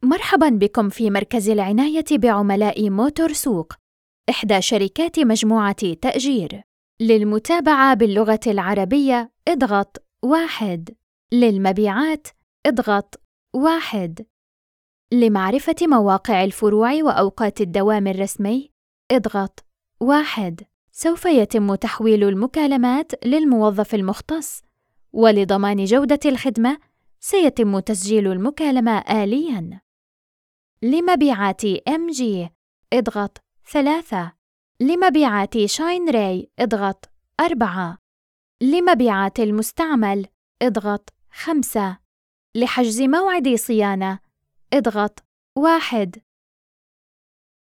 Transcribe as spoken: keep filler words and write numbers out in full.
مرحباً بكم في مركز العناية بعملاء موتور سوق، إحدى شركات مجموعة تأجير. للمتابعة باللغة العربية اضغط واحد. للمبيعات اضغط واحد. لمعرفة مواقع الفروع وأوقات الدوام الرسمي اضغط واحد. سوف يتم تحويل المكالمات للموظف المختص، ولضمان جودة الخدمة سيتم تسجيل المكالمة آلياً. لمبيعات إم جي اضغط ثلاثة. لمبيعات شاين راي اضغط أربعة. لمبيعات المستعمل اضغط خمسة. لحجز موعد صيانة اضغط واحد.